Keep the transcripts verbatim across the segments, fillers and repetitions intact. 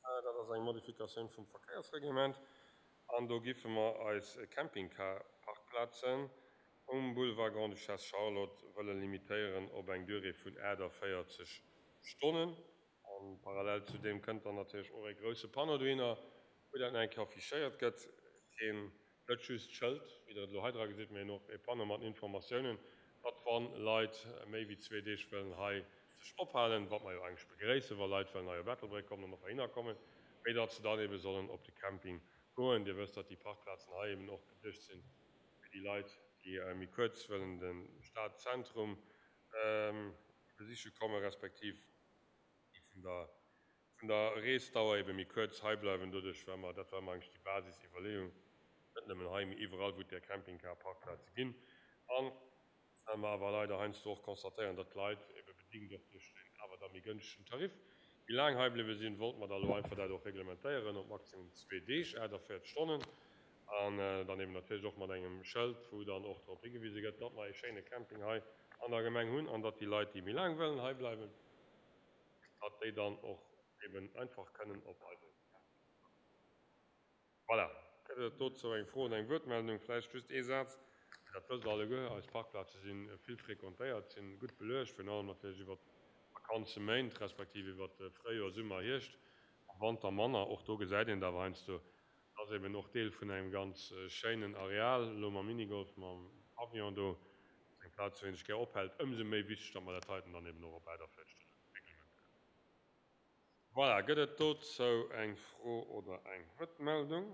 Dat ass eng Modifikatioun vum Verkéiersreglement. An do giffe mer eis Campingcar-Parkplazen um Boulevard Grande-Duchesse Charlotte wëlle limitéieren op eng Durée vun aachtavéierzeg Stonnen. An parallel zu deem kënnt dann natierlech och e grousse Panneau dohinner, wou dat nach eng Kéier affichéiert gëtt. Keen, net just d'Schëld, wéi Der et elo hei dra gesitt, mee och e Panneau mat Informatiounen, datt wann Leit méi wéi zwee Deeg wëllen hei sech ophalen, wat mer jo eigentlech begréissen, wa Leit wëllen hei op Ettelbréck kommen an och heihinner kommen, mee datt se dann ebe sollen op de Camping goen. Dir wësst, datt déi Parkplazen hei eben och geduecht sinn fir déi Leit, déi méi kuerz wëllen de Stadzentrum besiche kommen, respektiv déi vun der vun der Reesdauer ebe méi kuerz hei bleiwen. Doduerch war mer, dat war mer eigentlech déi Basisiwwerleeung, net nëmmen hei, mee iwwerall, wou et där Campingcar-Parkplaze ginn. An well mer awer leider heiansdo och constatéieren, datt d'Leit ebe bedingt och duerch deen awer da méi gënschtegen Tarif méi laang hei bliwwe sinn, wollte mer da elo einfach dat och reglementéieren op maximum zwee Deeg, aachtavéierzeg Stonnen, an dann eben natierlech och mat engem Schëld, wou dann och drop higewise gëtt, datt mer e schéine Camping hei an der Gemeng hunn an datt déi Leit, déi méi laang wëllen hei bleiwen, datt déi dann och eben einfach kënnen op eise Camping fueren. Voilà. Gëtt et dozou eng Fro oder eng Wuertmeldung? Vläicht just ee Saz, dat wësst Der alleguer, eis Parkplaze si vill frequentéiert, si gutt beluecht, virun allem natierlech iwwert d'Vakanzeméint, respektiv iwwert de Fréijoer, Summer, Hierscht, am Wanter manner. Och do gesäit een et awer heiansdo, dat ass eben och Deel vun engem ganz schéinen Areal, elo mam Minigolf, mam Pavillon do, dat ass eng Plaz, wou een sech gär ophält. Ëmsou méi wichteg, datt mer dat heiten dann eben och op aachtavéierzeg Stonne reglementéieren. Voilà, gëtt et dozou eng Fro oder eng Wuertmeldung?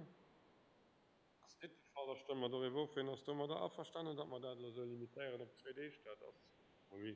Ass net de Fall. Da stëmme mer doriwwer of. Wien ass domadder averstanen, datt mer dat elo esou limitéieren op zwee Deeg? Dat ass, oui,